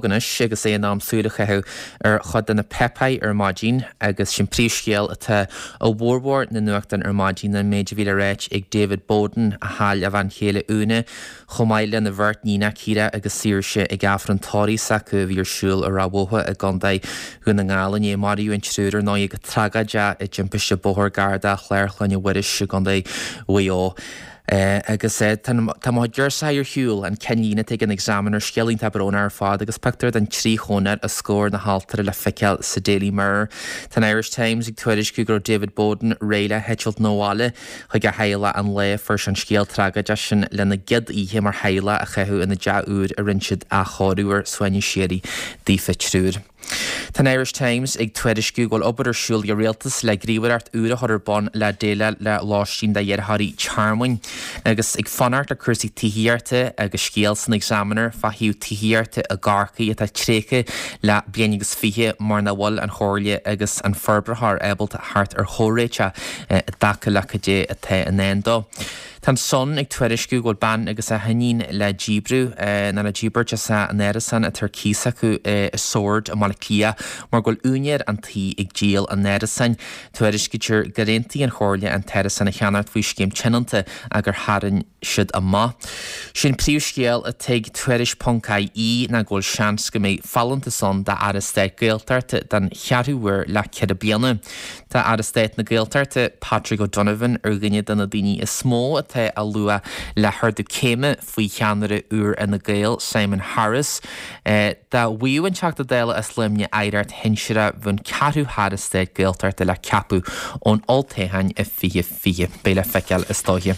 Anois agus é in am súil a chaitheamh ar chuid de na páipéir ar maidin agus sin príomhscéal atá i bhformhór na nuachtán ar maidin ná an méid a bhí le ráit ag David Bowden, a chaill a bhean chéile Úna, chomh maith lena bheirt níonach Ciara agus Saoirse ag Aifreann tórraimh s'acu a bhí ar siúl i Ráth Bhotha i gContae Dhún na nGall inné. Maraíodh an triúr ar ndóigh go tragóideach i dtimpiste bóthair gar do Chlár Chlainne Mhuiris i gContae Mhaigh Eo. Agus tá mo chuid girseachaí ar shiúl, an ceannlíne atá ag an Examiner, scéal iontach brónach ar fad agus pictiúr den trí chónra os comhair na haltóra le feiceáil sa Daily Mirror. Tá an Irish Times ag tuairisciú go raibh David Bowden réidh le heitilt 'na bhaile chuig a theaghlach an lá a fuair sé an scéal tragóideach sin lena gcéad oíche mar theaghlach a chaitheamh ina dteach úr a rinne siad athchóiriú air, suaimhneas síoraí daofa triúr. Tá an Irish Times ag tuairisciú go bhfuil obair ar siúl ag an Rialtas le gníomhaireacht úr a chur ar bun le déileáil le lóistín d'iarrthóirí tearmainn. Agus ag fanacht le cúrsaí tithíochta agus scéal san Examiner fá thaobh tithíochta i gCorcaigh atá tréigthe le bliain agus 20 mar nach bhfuil an Chomhairle agus an forbraitheoir ábalta theacht ar chomhréiteach i dtaca le cad é atá i ndán dó. Tá an Sun ag tuairisciú go bhfuil bean agus a hiníon le díbriú, nó le díbirt as an árasán atá ar cíos acu i Sord i mBaile Átha Cliath mar go bhfuil úinéir an tí ag díol an árasáin. Tuairiscítear gur aontaigh an Chomhairle an t-árasán a cheannacht faoi scéim tionónta ach gur tharraing siad amach. Sé'n príomhscéal atá ag Tuairisc ponc IE ná go bhfuil seans go mbeidh folúntas ann d'Aire Stáit Gaeltachta den cheathrú huair le 4 bliana. Tá Aire Stáit na Gaeltachta, Patrick O'Donovan, ar dhuine de na daoine is mó atá á lua le hardú céime faoi cheannaire úr Fhine Gael, Simon Harris. Dá bhfaigheadh an Teachta Dála as Luimneach aireacht shinsearach bheadh an ceathrú hAire Stáit Gaeltachta le ceapadh ón olltoghchán i 2020. Beidh le feiceáil is dóiche.